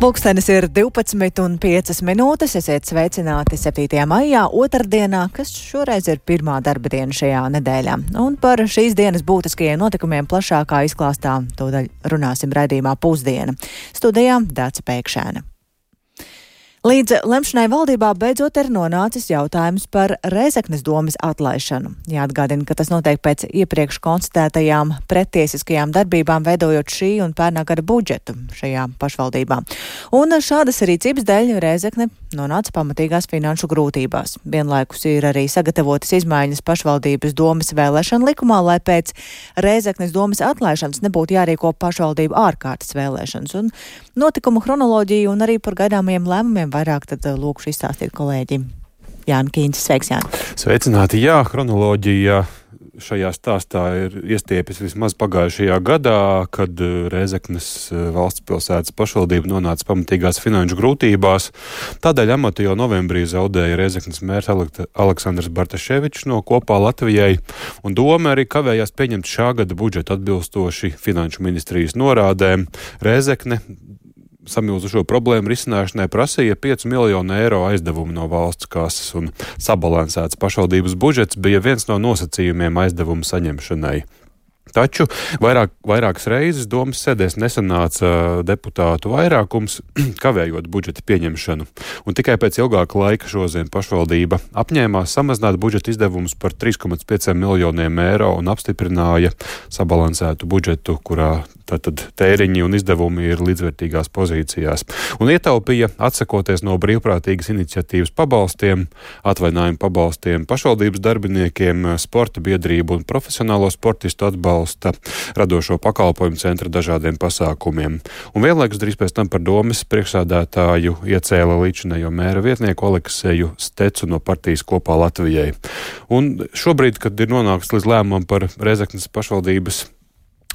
Pulkstenis ir 12,05 minūtes. Esiet sveicināti 7. maijā, otrdienā, kas šoreiz ir pirmā darba diena šajā nedēļā. Un par šīs dienas būtiskajiem notikumiem plašākā izklāstā tūdaļ runāsim raidījumā Pusdiena. Studijā Dāca Pēkšēna. Līdz lemšanai valdībā beidzot ir nonācis jautājums par Rēzeknes domes atlaišanu. Jāatgādina, ka tas notiek pēc iepriekš konstatētajām prettiesiskajām darbībām, veidojot šī un pērnā gada budžetu šajā pašvaldībā. Un šādas rīcības dēļ Rēzekne nonāca pamatīgās finanšu grūtībās. Vienlaikus ir arī sagatavotas izmaiņas pašvaldības domes vēlēšana likumā, lai pēc Rēzeknes domes atlaišanas nebūtu jārīko pašvaldību ārkārtas vēlēšanas. Un notikumu chronoloģiju un arī par gaidāmajiem lēmumiem vairāk tad lūkšu izstāstīt kolēģi Jāni Kīņš. Sveiks, Jāni! Sveicināti! Jā, chronoloģija šajā stāstā ir iestiepjas vismaz pagājušajā gadā, kad Rēzeknes valsts pilsētas pašvaldība nonāca pamatīgās finanšu grūtībās. Tādēļ amatu jau novembrī zaudēja Rēzeknes mērs Aleksandrs Bartaševičs no Kopā Latvijai, un doma arī kavējās pieņemt šā gada budžetu atbilstoši finanšu ministrijas norādēm. Rēzekne samilzušo problēmu risināšanai prasīja 5 miljonu eiro aizdevumu no valsts kases, un sabalansēts pašvaldības budžets bija viens no nosacījumiem aizdevumu saņemšanai. Taču vairākas reizes domas sēdēs nesanāca deputātu vairākums, kavējot budžeta pieņemšanu. Un tikai pēc ilgāka laika šodien pašvaldība apņēmās samazināt budžeta izdevumus par 3,5 miljoniem eiro un apstiprināja sabalansētu budžetu, kurā tātad tēriņi un izdevumi ir līdzvērtīgās pozīcijās. Un ietaupīja, atsakoties no brīvprātīgas iniciatīvas pabalstiem, atvaļinājumu pabalstiem pašvaldības darbiniekiem, sporta biedrību un profesionālo sportistu atbalsta, radošo pakalpojumu centra dažādiem pasākumiem. Un vienlaikus drīz pēc tam par domes priekšsādātāju iecēla līdzinējo mēra vietnieku Aleksēju Stecu no partijas Kopā Latvijai. Un šobrīd, kad ir nonāks līdz lēmumam par Rēzeknes pašvaldības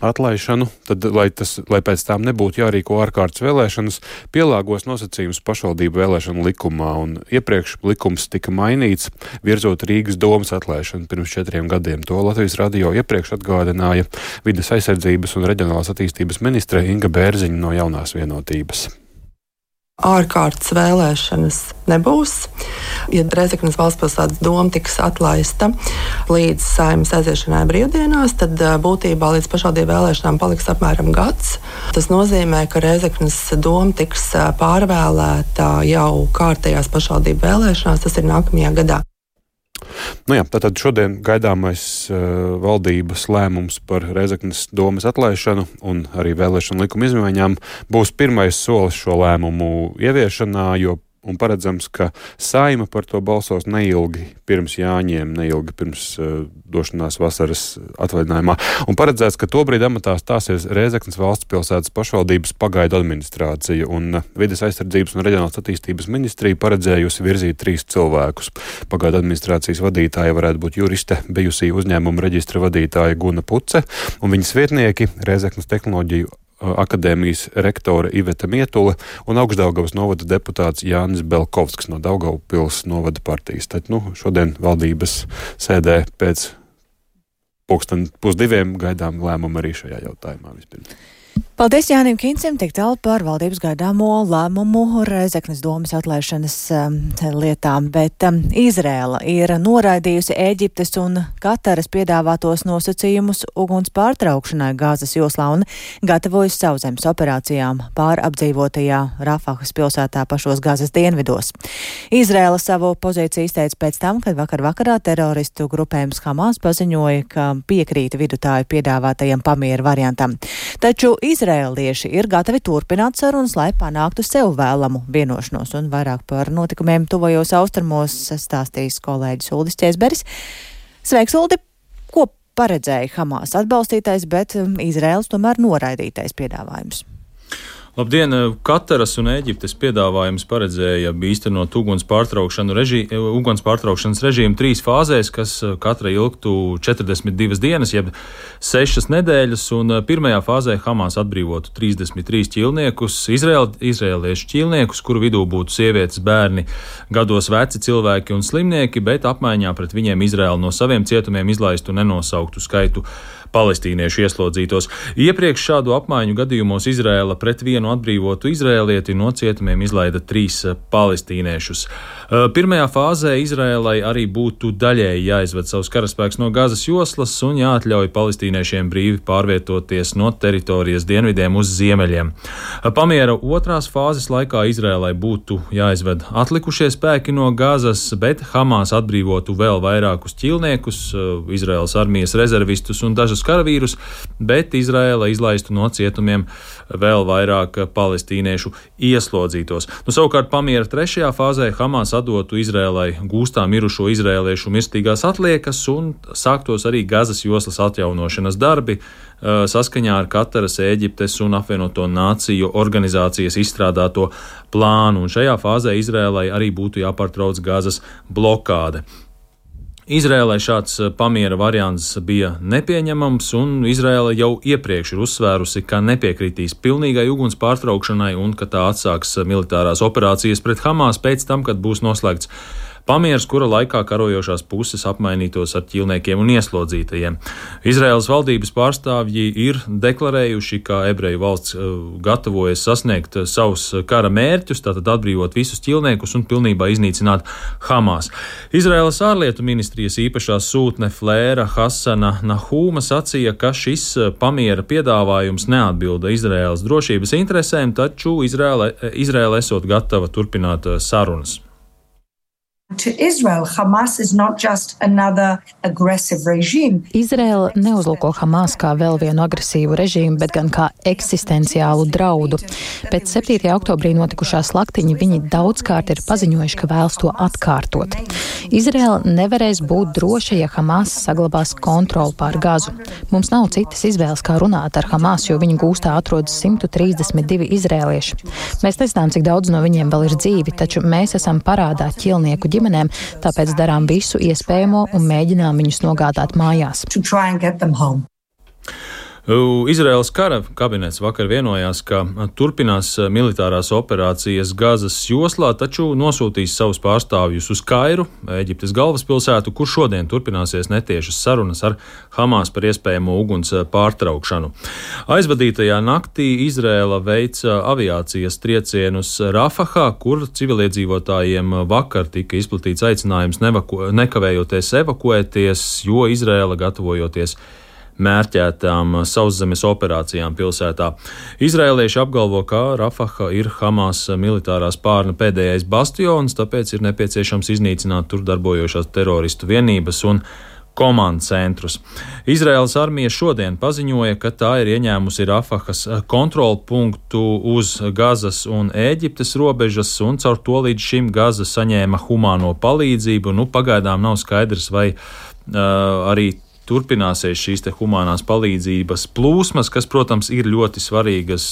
atlaišanu, tad, lai pēc tām nebūtu jārīko ārkārtas vēlēšanas, pielāgos nosacījumus pašvaldību vēlēšanu likumā, un iepriekš likums tika mainīts, virzot Rīgas domes atlaišanu pirms 4 gadiem. To Latvijas radio iepriekš atgādināja Vides aizsardzības un reģionālās attīstības ministre Inga Bērziņa no Jaunās vienotības. Ārkārtas vēlēšanas nebūs. Ja Rēzeknes valstspilsētas doma tiks atlaista līdz Saeimas aiziešanai brīvdienās, tad būtībā līdz pašvaldību vēlēšanām paliks apmēram gads. Tas nozīmē, ka Rēzeknes doma tiks pārvēlēta jau kārtējās pašvaldību vēlēšanās, tas ir nākamajā gadā. Nu jā, tātad šodien gaidāmais valdības lēmums par Rēzeknes domes atlaišanu un arī vēlēšanu likuma izmaiņām būs pirmais solis šo lēmumu ieviešanā, un paredzams, ka Saeima par to balsos neilgi pirms Jāņiem, neilgi pirms došanās vasaras atvaļinājumā. Un paredzēts, ka tobrīd amatā stāsies Rēzeknes valsts pilsētas pašvaldības pagaidu administrācija, un Vides aizsardzības un reģionālās attīstības ministrija paredzējusi virzīt 3 cilvēkus. Pagaidu administrācijas vadītāja varētu būt juriste, bijusī uzņēmuma reģistra vadītāja Guna Puce, un viņas vietnieki Rēzeknes tehnoloģiju akadēmijas rektore Iveta Mietule un Augšdaugavas novada deputāts Jānis Belkovskis no Daugavpils novada partijas. Tad, šodien valdības sēdē pēc 1:30 gaidām lēmumu arī šajā jautājumā vispirms. Paldies Jānim Kīncim, tik tālu par valdības gaidāmo lēmumu Rēzeknes domes atlaišanas lietām, bet Izrēla ir noraidījusi Ēģiptes un Kataras piedāvātos nosacījumus uguns pārtraukšanai Gāzes joslā un gatavojas sauszemes operācijām pārapdzīvotajā Rafahas pilsētā pašos Gāzes dienvidos. Izrēla savu pozīciju izteica pēc tam, kad vakarā teroristu grupējums Hamas paziņoja, ka piekrīt vidutāju piedāvātajam pamieru variantam. Taču izrēlieši ir gatavi turpināt sarunas, lai panāktu sev vēlamu vienošanos, un vairāk par notikumiem tuvajos austrumos stāstīs kolēģis Uldis Ķēzberis. Sveiks, Uldi! Ko paredzēja Hamas atbalstītais, bet Izrēlas tomēr noraidītais piedāvājums? Labdien! Kataras un Ēģiptes piedāvājums paredzēja īstenot uguns pārtraukšanas režīmu 3 fāzēs, kas katra ilgtu 42 dienas, jeb 6 nedēļas, un pirmajā fāzē Hamas atbrīvotu 33 ķīlniekus, izrēliešu ķīlniekus, kuru vidū būtu sievietes, bērni, gados veci cilvēki un slimnieki, bet apmaiņā pret viņiem Izrēla no saviem cietumiem izlaistu nenosauktu skaitu palestīniešu ieslodzītos. Iepriekš šādu apmaiņu gadījumos Izrēla pret vienu vienu atbrīvotu izrēlieti, no cietumiem izlaida 3 palestīniešus. Pirmajā fāzē Izrēlai arī būtu daļēji jāizved savus karaspēks no Gazas joslas un jāatļauj palestīniešiem brīvi pārvietoties no teritorijas dienvidiem uz ziemeļiem. Pamiera otrās fāzes laikā Izrēlai būtu jāizved atlikušie spēki no Gazas, bet Hamas atbrīvotu vēl vairākus ķīlniekus, Izraēlas armijas rezervistus un dažus karavīrus, bet Izraēla izlaistu no cietumiem vēl vairāk palestīniešu ieslodzītos. Savukārt pamiera trešajā fāzē Hamas atdotu Izrēlai gūstā mirušo izrēliešu mirstīgās atliekas un sāktos arī Gazas joslas atjaunošanas darbi saskaņā ar Kataras, Ēģiptes un apvienoto nāciju organizācijas izstrādāto plānu, un šajā fāzē Izrēlai arī būtu jāpārtrauc Gazas blokāde. Izrēlai šāds pamiera variants bija nepieņemams, un Izrēla jau iepriekš ir uzsvērusi, ka nepiekritīs pilnīgai uguns pārtraukšanai un ka tā atsāks militārās operācijas pret Hamas pēc tam, kad būs noslēgts pamieris, kura laikā karojošās puses apmainītos ar ķīlniekiem un ieslodzītajiem. Izraēlas valdības pārstāvji ir deklarējuši, ka ebreju valsts gatavojas sasniegt savus kara mērķus, tātad atbrīvot visus ķīlniekus un pilnībā iznīcināt Hamas. Izraēlas ārlietu ministrijas īpašā sūtne Flēra Hasana Nahūma sacīja, ka šis pamiera piedāvājums neatbilda Izraēlas drošības interesēm, taču Izraēla esot gatava turpināt sarunas. To Israel, Hamas is not just another aggressive regime. Izraela neuzlūko Hamas kā vēl vienu agresīvu režīmu, bet gan kā eksistenciālu draudu. Pēc 7. oktobrī notikušā slaktiņa viņi daudzkārt ir paziņojuši, ka vēlas to atkārtot. Izraela nevarēs būt droša, ja Hamas saglabās kontroli pār Gazu. Mums nav citas izvēles, kā runāt ar Hamas, jo viņu gūstā atrodas 132 izrēlieši. Mēs nezinām, cik daudz no viņiem vēl ir dzīvi, taču mēs esam parādā ķilnieku ģimenēm, tāpēc darām visu iespējamo un mēģinām viņus nogādāt mājās. Izraēlas kara kabinets vakar vienojās, ka turpinās militārās operācijas Gazas joslā, taču nosūtīs savus pārstāvjus uz Kairu, Ēģiptes galvaspilsētu, kur šodien turpināsies netiešas sarunas ar Hamas par iespējamo uguns pārtraukšanu. Aizvadītajā naktī Izraēla veica aviācijas triecienus Rafahā, kur civiliedzīvotājiem vakar tika izplatīts aicinājums nekavējoties evakuēties, jo Izraēla gatavojoties mērķētām sauszemes operācijām pilsētā. Izraēlieši apgalvo, ka Rafaha ir Hamas militārā spārna pēdējais bastions, tāpēc ir nepieciešams iznīcināt tur darbojošās teroristu vienības un komandu centrus. Izraēlas armija šodien paziņoja, ka tā ir ieņēmusi Rafahas kontrolu punktu uz Gazas un Ēģiptes robežas, un caur to līdz šim Gaza saņēma humāno palīdzību. Pagaidām nav skaidrs, vai arī turpināsies šīs te humānās palīdzības plūsmas, kas, protams, ir ļoti svarīgas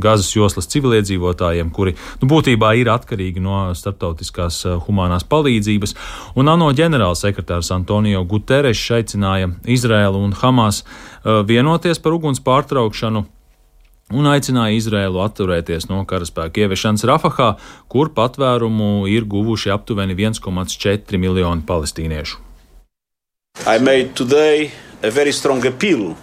Gazas joslas civiliedzīvotājiem, kuri būtībā ir atkarīgi no starptautiskās humānās palīdzības. Un ANO ģenerālsekretārs Antonio Guterres aicināja Izraēlu un Hamas vienoties par uguns pārtraukšanu un aicināja Izraēlu atturēties no karaspēku ieviešanas Rafahā, kur patvērumu ir guvuši aptuveni 1,4 miljoni palestīniešu. I made today a very strong appeal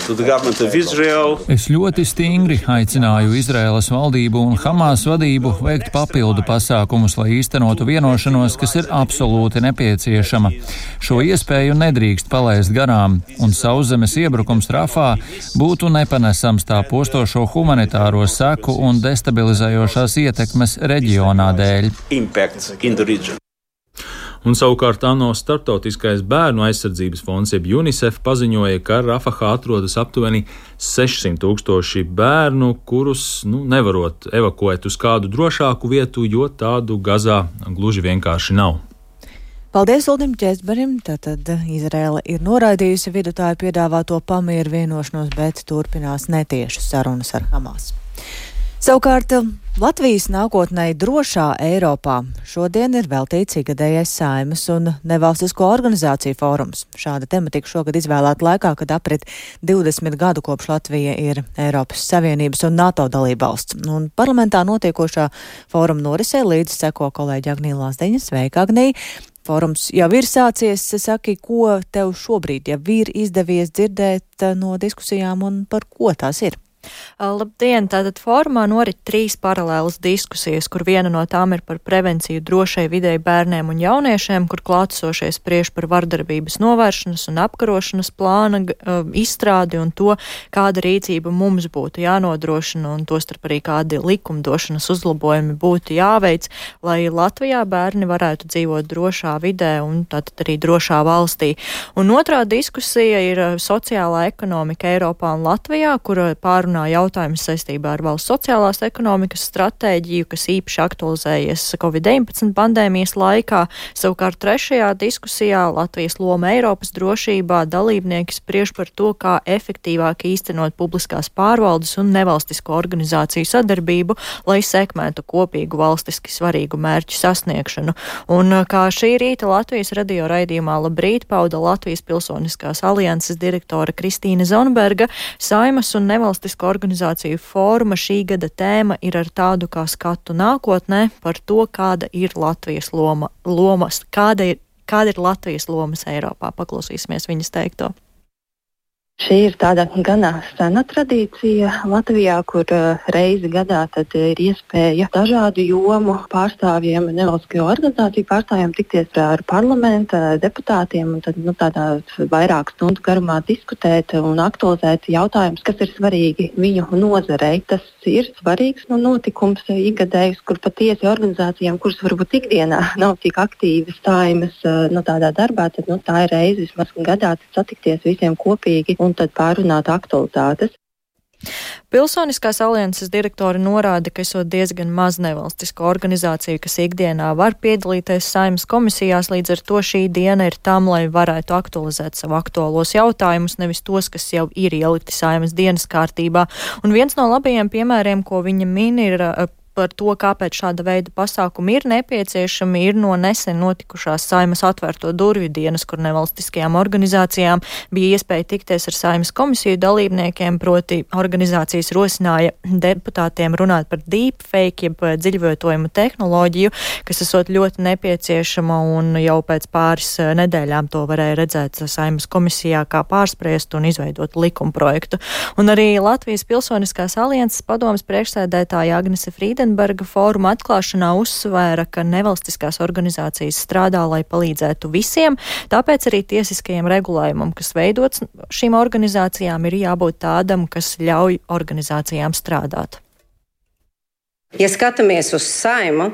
to the government of Israel. Es ļoti stingri aicināju Izraēlas valdību un Hamas vadību veikt papildu pasākumus, lai īstenotu vienošanos, kas ir absolūti nepieciešama. Šo iespēju nedrīkst palaist garām, un sauszemes iebrukums Rafā būtu nepanesams tā postošo humanitāro seku un destabilizējošās ietekmes reģionā dēļ. Un savukārt ANO starptautiskais bērnu aizsardzības fonds, jeb UNICEF, paziņoja, ka Rafahā atrodas aptuveni 600,000 bērnu, kurus nevarot evakuēt uz kādu drošāku vietu, jo tādu Gazā gluži vienkārši nav. Paldies Uldim Ķēzberim. Tātad Izraēla ir noraidījusi vidutāju piedāvāto pamieru vienošanos, bet turpinās netiešas sarunas ar Hamas. Savukārt Latvijas nākotnei drošā Eiropā šodien ir veltīts ikgadējais Saeimas un nevalstisko organizāciju fórums. Šāda tematika šogad izvēlēta laikā, kad aprit 20 gadu kopš Latvija ir Eiropas Savienības un NATO dalībvalsts. Un parlamentā notiekošā fóruma norisē līdzi seko kolēģi Agnija Lazdeņa. Sveika, Agnija! Fórums jau ir sācies. Saki, ko tev šobrīd jau ir izdevies dzirdēt no diskusijām un par ko tās ir? Labdien! Tātad fórumā norit 3 paralēlas diskusijas, kur viena no tām ir par prevenciju drošai videi bērniem un jauniešiem, kur klātesošie spriež par vardarbības novēršanas un apkarošanas plāna izstrādi un to, kāda rīcība mums būtu jānodrošina un tostarp arī kādi likumdošanas uzlabojumi būtu jāveic, lai Latvijā bērni varētu dzīvot drošā vidē un tātad arī drošā valstī. Un otrā diskusija ir sociālā ekonomika Eiropā un Latvijā, kur pārunā jautājums saistībā ar valsts sociālās ekonomikas stratēģiju, kas īpaši aktualizējies Covid-19 pandēmijas laikā. Savukārt trešajā diskusijā Latvijas loma Eiropas drošībā dalībnieki spriež par to, kā efektīvāk īstenot publiskās pārvaldes un nevalstisko organizāciju sadarbību, lai sekmētu kopīgu valstiski svarīgu mērķu sasniegšanu. Un kā šī rīta Latvijas radio raidījumā Labrīt pauda Latvijas Pilsoniskās alianses direktore Kristīne Zonberga, Saeimas un nevalstisko organizāciju fóruma šī gada tēma ir ar tādu kā skatu nākotnē par to, kāda ir Latvijas kāda ir Latvijas lomas Eiropā. Paklausīsimies viņas teikto. Šī ir tāda gana sena tradīcija Latvijā, kur reizi gadā tad ir iespēja dažādu jomu pārstāvjiem, nevalstisko organizāciju pārstāvjiem tikties ar parlamenta deputātiem un tad tādā vairāk stundu garumā diskutēt un aktualizēt jautājumus, kas ir svarīgi viņu nozarei. Tas ir svarīgs notikums ikgadējs, kur patiesi organizācijām, kuras varbūt ikdienā nav tik aktīvi stājumas tādā darbā, tad tā ir reizi vismaz gadā satikties visiem kopīgi un tad pārunāt aktualitātes. Pilsoniskās alianses direktori norāda, ka esot diezgan maz nevalstisko organizāciju, kas ikdienā var piedalīties Saeimas komisijās, līdz ar to šī diena ir tam, lai varētu aktualizēt savu aktuālos jautājumus, nevis tos, kas jau ir ielikti Saeimas dienas kārtībā. Un viens no labajiem piemēriem, ko viņa min, ir par to, kāpēc šāda veida pasākumi ir nepieciešami, ir no nesen notikušās Saeimas atvērto durvju dienas, kur nevalstiskajām organizācijām bija iespēja tikties ar Saeimas komisiju dalībniekiem, proti organizācijas rosināja deputātiem runāt par deepfake, jeb dziļvietojumu tehnoloģiju, kas esot ļoti nepieciešama un jau pēc pāris nedēļām to varēja redzēt Saeimas komisijā kā pārspriest un izveidot likumprojektu. Un arī Latvijas Pilsoniskās alianses padomes priekšsēdētāja Agnese Frīdenberga fóruma atklāšanā uzsvēra, ka nevalstiskās organizācijas strādā, lai palīdzētu visiem, tāpēc arī tiesiskajam regulējumam, kas veidots šīm organizācijām, ir jābūt tādam, kas ļauj organizācijām strādāt. Ja skatāmies uz Saeimu,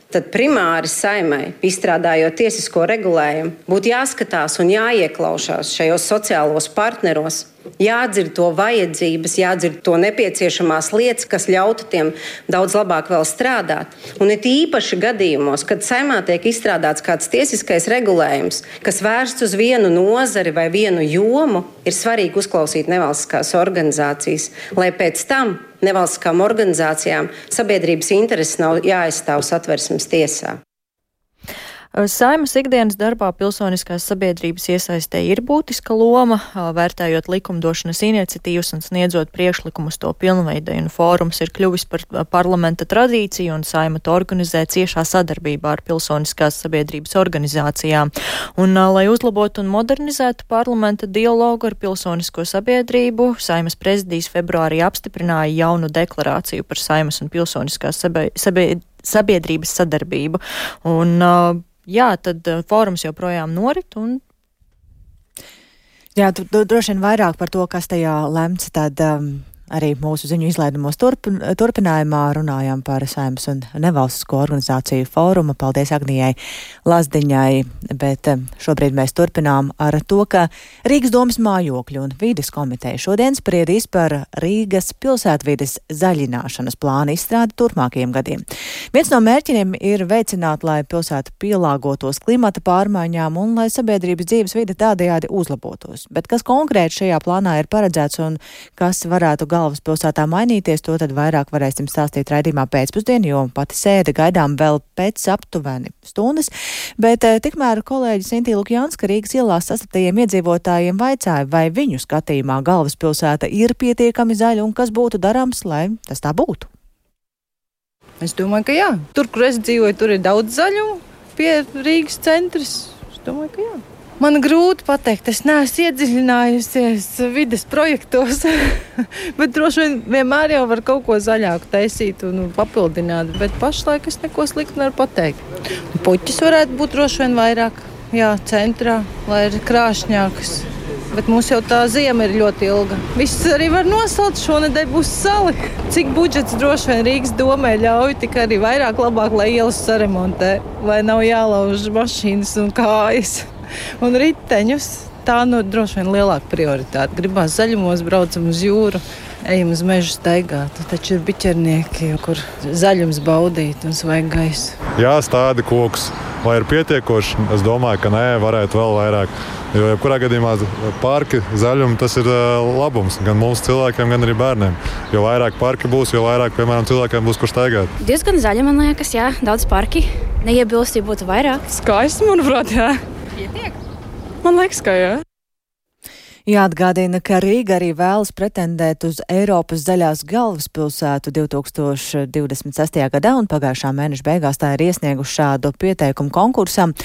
tad primāri Saeimai, izstrādājot tiesisko regulējumu, būtu jāskatās un jāieklausās šajos sociālos partneros, jādzird to vajadzības, jādzird to nepieciešamās lietas, kas ļautu tiem daudz labāk vēl strādāt. Un it īpaši gadījumos, kad Saeimā tiek izstrādāts kāds tiesiskais regulējums, kas vērsts uz vienu nozari vai vienu jomu, ir svarīgi uzklausīt nevalstiskās organizācijas, lai pēc tam nevalstiskām organizācijām sabiedrības intereses nav jāaizstāv Satversmes tiesā. Saeimas ikdienas darbā pilsoniskās sabiedrības iesaistē ir būtiska loma, vērtējot likumdošanas iniciatīvas un sniedzot priekšlikumus to pilnveidai, un fórums ir kļuvis par parlamenta tradīciju, un Saeima to organizē ciešā sadarbībā ar pilsoniskās sabiedrības organizācijām. Un, lai uzlabotu un modernizētu parlamenta dialogu ar pilsonisko sabiedrību, Saeimas prezidijs februārī apstiprināja jaunu deklarāciju par Saeimas un pilsoniskās sabiedrības sadarbību. Un, jā, tad fórums joprojām norit un. Jā, droši vien vairāk par to, kas tajā lemts, tad arī mūsu ziņu izlaidumos turpinājumā runājām par Saeimas un nevalstisko organizāciju fóruma. Paldies Agnijai Lazdiņai, bet šobrīd mēs turpinām ar to, ka Rīgas domas mājokļu un vides komiteja šodien spriedīs par Rīgas pilsētvides zaļināšanas plānu izstrādi turpmākajiem gadiem. Viens no mērķiem ir veicināt, lai pilsēta pielāgotos klimata pārmaiņām un lai sabiedrības dzīves vide tādējādi uzlabotos. Bet kas konkrēti šajā plānā ir paredzēts un kas varētu galvaspilsētā mainīties, to tad vairāk varēsim stāstīt raidījumā pēcpusdienu, jo pati sēde gaidām vēl pēc aptuveni stundas. Bet tikmēr kolēģis Intī Lukjanska Rīgas ielās sastaptajiem iedzīvotājiem vaicāja, vai viņu skatījumā galvaspilsēta ir pietiekami zaļa un kas būtu darāms, lai tas tā būtu. Es domāju, ka jā. Tur, kur es dzīvoju, tur ir daudz zaļumu pie Rīgas centras. Es domāju, ka jā. Man grūti pateikt, es neesmu iedziļinājusies vides projektos, bet droši vien vienmēr jau var kaut ko zaļāku taisīt un papildināt, bet pašlaik es neko sliktu nevaru pateikt. Puķis varētu būt droši vien vairāk, centrā, lai ir krāšņākas. Bet mums jau tā ziema ir ļoti ilga. Viss arī var nosalt, šonedēļ būs sali. Cik budžets droši vien Rīgas domē ļauj, tik arī vairāk labāk, lai ielas saremontē, lai nav jālauž mašīnas un kājas un riteņus. Tā droši vien lielāka prioritāte. Gribās zaļumos, braucam uz jūru, ejam uz mežu staigāt. Taču ir biķernieki, kur zaļums baudīt un svaigu gaisu. Jā, stādi kokus. Vai ir pietiekoši? Es domāju, ka nē, varētu vēl vairāk. Jo jebkurā gadījumā parki, zaļumi, tas ir labums gan mums cilvēkiem, gan arī bērniem. Jo vairāk parki būs, jo vairāk, piemēram, cilvēkiem būs, kur staigāt. Diezgan zaļi, man liekas, jā, daudz parki. Neiebilst, ja būtu vairāk. Skaisti, manuprāt, jā. Pietiek? Man liekas, ka jā. Jāatgādina, ka Rīga arī vēlas pretendēt uz Eiropas zaļās galvaspilsētu 2026. gadā, un pagājušā mēneša beigās tā ir iesnieguši šādu pieteikumu konkursam.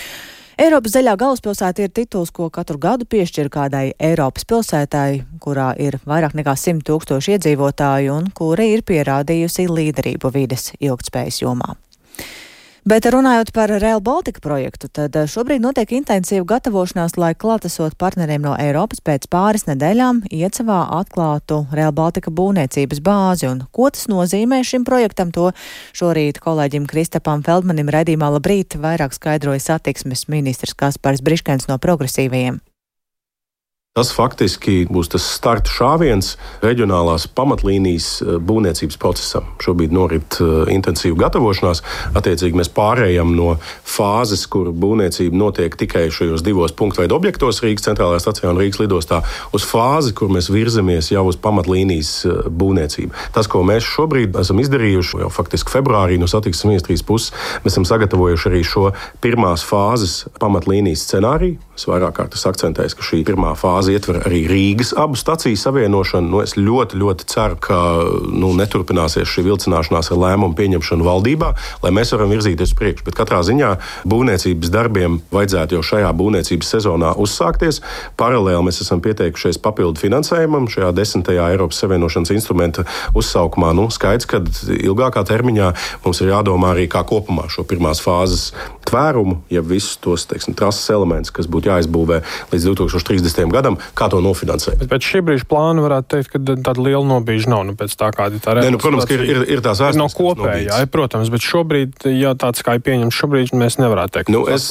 Eiropas zaļā galvaspilsēta ir tituls, ko katru gadu piešķir kādai Eiropas pilsētai, kurā ir vairāk nekā 100 000 iedzīvotāju un kura ir pierādījusi līderību vides ilgtspējas jomā. Bet runājot par Rail Baltica projektu, tad šobrīd notiek intensīva gatavošanās, lai klātesot partneriem no Eiropas pēc pāris nedēļām iecavā atklātu Rail Baltica būvniecības bāzi. Un ko tas nozīmē šim projektam, to šorīt kolēģim Kristapam Feldmanim raidījumā Labrīt vairāk skaidroja satiksmes ministrs Kaspars Briškens no Progresīvajiem. Tas faktiski būs tas starta šāviens reģionālās pamatlīnijas būvniecības procesam. Šobrīd norit intensīva gatavošanās. Attiecīgi mēs pārējām no fāzes, kur būvniecība notiek tikai šajos divos punktveidu objektos Rīgas centrālajā stacijā un Rīgas lidostā, uz fāzi, kur mēs virzamies jau uz pamatlīnijas būvniecību. Tas, ko mēs šobrīd esam izdarījuši, jau faktiski februārī no satiksmes ministrijas puses, mēs esam sagatavojuši arī šo pirmās fāzes pamatlīnijas scenāriju. Es vairāk kārtas akcentēju, ka šī pirmā fāze ietver arī Rīgas abu staciju savienošanu. Es ļoti, ļoti ceru, ka neturpināsies šī vilcināšanās ar lēmumu pieņemšanu valdībā, lai mēs varam virzīties uz priekšu. Bet katrā ziņā būvniecības darbiem vajadzētu jau šajā būvniecības sezonā uzsākties. Paralēli mēs esam pieteikušies papildu finansējumam šajā 10. Eiropas Savienošanas instrumenta uzsaukumā. Skaidrs, ka ilgākā termiņā mums ir jādomā arī kā kopumā šo pirmās fāzes tvērumu, ja visus tos, trases elementus, kas būtu jāizbūvē līdz 2030. gadam, kā to nofinansēt. Bet pēc šī brīža plāna varētu teikt, ka tāda liela nobīža nav, pēc tā kāda tā reāla. Protams, ka ir tās vēstures. No kopējā, protams, bet šobrīd, ja tāds kā ir pieņemts šobrīd, mēs nevarētu teikt. Es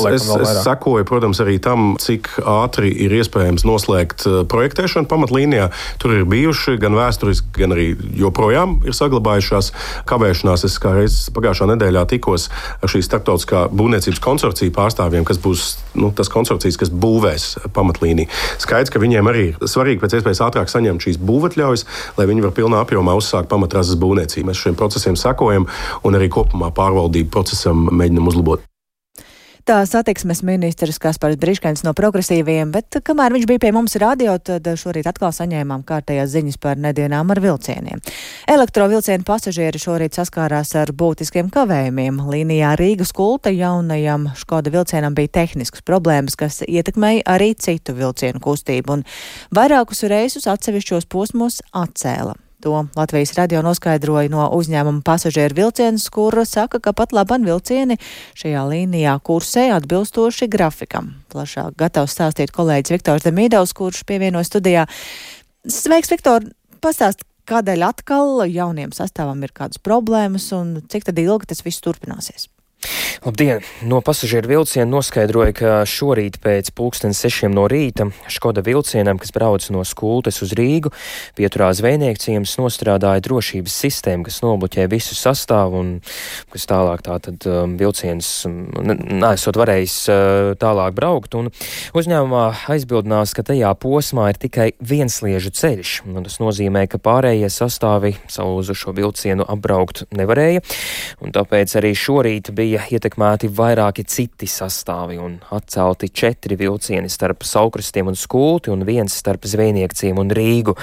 sekoju, protams, arī tam, cik ātri ir iespējams noslēgt projektēšanu pamatlīnijā. Tur ir bijuši gan vēsturiski, gan arī joprojām ir saglabājušās kavēšanās. Es kā reiz pagājušā nedēļā tikos ar šī starptautiskā būvniecības konsorcija pārstāvjiem, kas būs tas konsorcijas, kas būvēs pamatlīniju. Skaidrs, ka viņiem arī ir svarīgi pēc iespējas ātrāk saņemt šīs būvatļaujas, lai viņi var pilnā apjomā uzsākt pamatrases būvniecību. Mēs šiem procesiem sekojam un arī kopumā pārvaldību procesam mēģinam uzlabot. Tā satiksmes ministrs Kaspars Briškens no Progresīvajiem, bet kamēr viņš bija pie mums radio, tad šorīt atkal saņēmām kārtējās ziņas par nedienām ar vilcieniem. Elektrovilcienu pasažieri šorīt saskārās ar būtiskiem kavējumiem. Līnijā Rīgas Kulta jaunajam Škoda vilcienam bija tehniskas problēmas, kas ietekmēja arī citu vilcienu kustību, un vairākus reisus atsevišķos posmos atcēla. To Latvijas radio noskaidroja no uzņēmuma pasažieru vilciens, kur saka, ka pat laban vilcieni šajā līnijā kursē atbilstoši grafikam. Plašāk gatavs stāstīt kolēģis Viktors Demīdovs, kurš pievienojas studijā. Sveiks, Viktor! Pastāst, kādēļ atkal jauniem sastāvam ir kādas problēmas un cik tad ilgi tas viss turpināsies? Labdien! No pasažieru vilciena noskaidroja, ka šorīt pēc 6:00 no rīta Škoda vilcienam, kas brauc no Skultes uz Rīgu, pieturā zvejnieku ciems nostrādāja drošības sistēma, kas nobloķē visu sastāvu un kas tālāk tātad vilciens nesot varējis tālāk braukt. Un uzņēmumā aizbildinās, ka tajā posmā ir tikai viensliežu ceļš. Un tas nozīmē, ka pārējie sastāvi savu šo vilcienu apbraukt nevarēja. Un tāpēc arī šorīt bija bija ietekmēti vairāki citi sastāvi un atcelti 4 vilcieni starp Saukrastiem un Skulti un 1 starp Zvejniekciem un Rīgu.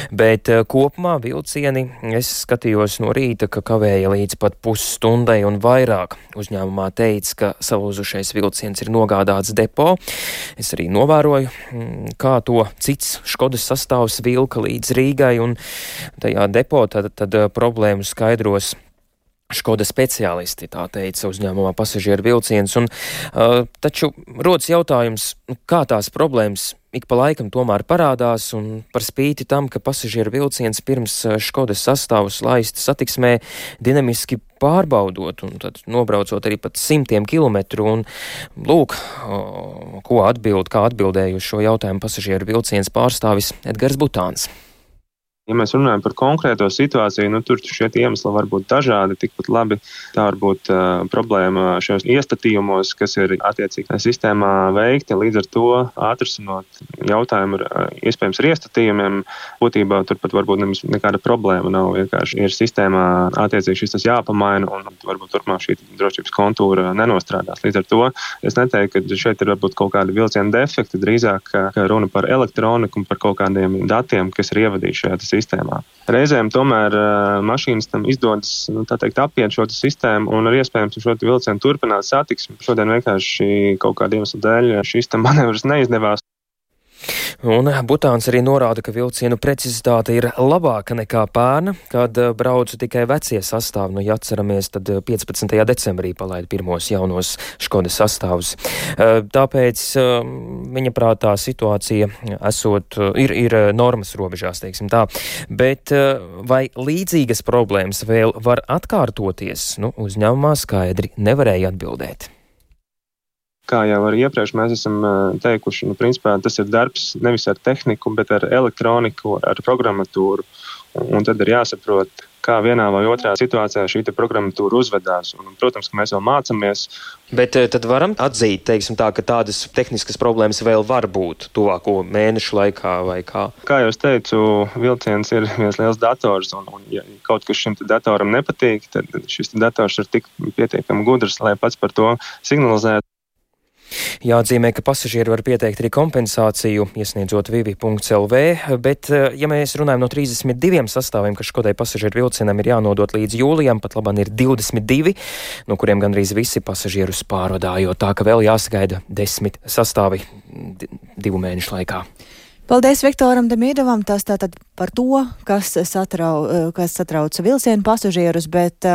Bet kopumā vilcieni es skatījos no rīta, ka kavēja līdz pat pusstundai un vairāk. Uzņēmumā teica, ka salūzušais vilciens ir nogādāts depo. Es arī novēroju, kā to cits Škodas sastāvs vilka līdz Rīgai, un tajā depo tad problēmu skaidros Škoda speciālisti, tā teica uzņēmumā Pasažieru vilciens. Taču rodas jautājums, kā tās problēmas ik pa laikam tomēr parādās, un par spīti tam, ka pasažieru vilciens pirms Škodas sastāvus laist satiksmē dinamiski pārbaudot, un tad nobraucot arī pat 100 kilometru, un lūk, kā atbildēja uz šo jautājumu pasažieru vilciens pārstāvis Edgars Butāns. Ja mēs runājam par konkrēto situāciju, tur šie iemesli var būt dažādi, tikpat labi tā var būt problēma šajos iestatījumos, kas ir attiecīgi sistēmā veikti. Līdz ar to atrisinot jautājumu ar iespējams ar iestatījumiem, būtībā turpat varbūt nekāda problēma nav. Vienkārši ir sistēmā attiecīgi šis tas jāpamaina, un varbūt turpmāk šī drošības kontūra nenostrādās. Līdz ar to es neteiktu, ka šeit ir varbūt kaut kādi vilciena defekti, drīzāk runa par elektroniku un par kaut kādiem datiem, kas ir ievadīti šajā sistēmā. Reizēm tomēr mašīnas tam izdodas, apiet šo sistēmu un ar iespējams šo vilcienu turpināt satiksmi. Šodien vienkārši kaut kāda iemesla dēļ šis tam manevrs neizdevās. Un Butāns arī norāda, ka vilcienu precizitāte ir labāka nekā pērn, kad braucu tikai vecie sastāvi. Ja atceramies, tad 15. decembrī palaida pirmos jaunos Škodas sastāvus. Tāpēc viņa prātā situācija ir normas robežās, teiksim tā. Bet vai līdzīgas problēmas vēl var atkārtoties? Uzņēmumā skaidri nevarēja atbildēt. Kā jau arī iepriekš mēs esam teikuši, principā tas ir darbs nevis ar tehniku, bet ar elektroniku, ar programmatūru. Un tad ir jāsaprot, kā vienā vai otrā situācijā šī programmatūra uzvedās. Un, protams, ka mēs vēl mācamies. Bet tad varam atzīt, teiksim tā, ka tādas tehniskas problēmas vēl var būt tuvāko mēnešu laikā vai kā? Kā jau es teicu, vilciens ir viens liels dators, un ja kaut kas šim datoram nepatīk, tad šis dators ir tik pietiekami gudrs, lai pats par to signalizētu. Jāatzīmē, ka pasažieri var pieteikt arī kompensāciju, iesniedzot vivi.lv, bet, ja mēs runājam no 32 sastāviem, kas Škodai pasažieru vilcienam ir jānodot līdz jūlijam, pat labāk ir 22, no kuriem gandrīz visi pasažierus pārvadājot, tā ka vēl jāsagaida 10 sastāvi 2 mēnešu laikā. Paldies Viktoram Demīdovam, tas tātad par to, kas satrauc vilcienu pasažierus, bet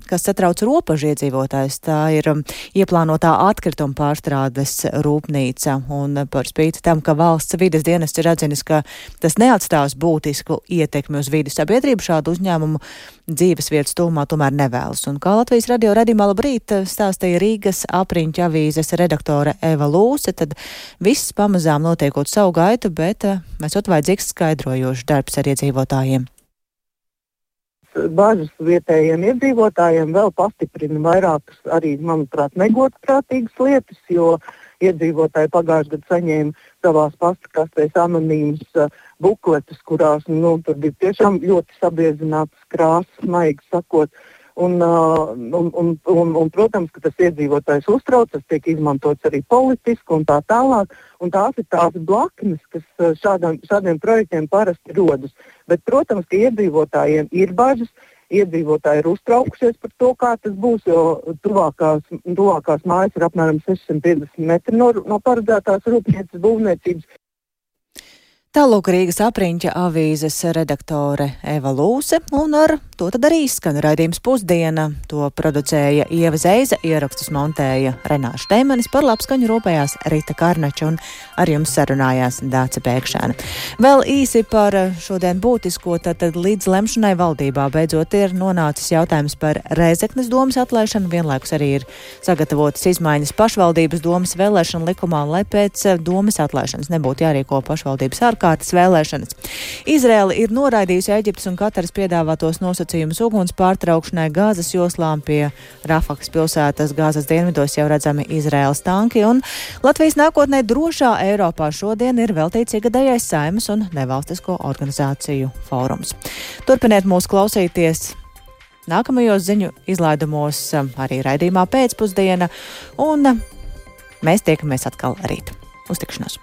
kas satrauc robežu iedzīvotājus. Tā ir ieplānotā atkrituma pārstrādes rūpnīca, un par spīti tam, ka valsts vides dienests ir atzinis, ka tas neatstās būtisku ietekmi uz vidi, sabiedrību šādu uzņēmumu dzīves vietas tuvumā tomēr nevēlas. Un kā Latvijas radio radījumā labrīt stāstīja Rīgas apriņķa avīzes redaktore Eva Lūse, tad viss pamazām notiekot savu gaitu, bet esot vajadzīgs skaidrojošs darbs ar iedzīvotājiem. Bažas vietējiem iedzīvotājiem vēl pastiprina vairākas arī, manuprāt, negodprātīgas lietas, jo iedzīvotāji pagājušajā gadā saņēma savās pastakastēs anonīmas bukletus, kurās tur bija tiešām ļoti sabiezinātas krāsas, maigi sakot. Un, protams, ka tas iedzīvotājs uztrauc, tas tiek izmantots arī politiski un tā tālāk. Un tās ir tās blaknes, kas šādiem projektiem parasti rodas. Bet, protams, ka iedzīvotājiem ir bažas, iedzīvotāji ir uztraukušies par to, kā tas būs, jo tuvākās mājas ir apmēram 650 metri no paredzētās rūpnīcas būvniecības. Tālūk Rīgas apriņķa avīzes redaktore Eva Lūse, un ar to tad arī skan raidījums Pusdiena. To producēja Ieva Zeiza, ierakstus montēja Renāša Teimanis, par labskaņu rūpējās Rita Karnača un ar jums sarunājās Dāce Pēkšēna. Vēl īsi par šodien būtisko, tad līdz lemšanai valdībā beidzot ir nonācis jautājums par Rēzeknes domas atlaišanu, vienlaikus arī ir sagatavotas izmaiņas pašvaldības domas vēlēšanu likumā, lai pēc domas atlaišanas nebūtu jārīko pašvaldības ārkārtas vēlēšanas. Izraela ir noraidījusi Eģiptes un Kataras piedāvātos nosacījumus uguns pārtraukšanai Gāzes joslām. Pie Rafakas pilsētas Gāzes dienvidos jau redzami Izraēlas tanki, un Latvijas nākotnē drošā Eiropā šodien ir veltīts ikgadējais Saeimas un nevalstisko organizāciju fórums. Turpiniet mūs klausīties nākamajos ziņu izlaidumos, arī raidījumā pēcpusdiena, un mēs tiekamies atkal rīt. Uz tikšanos!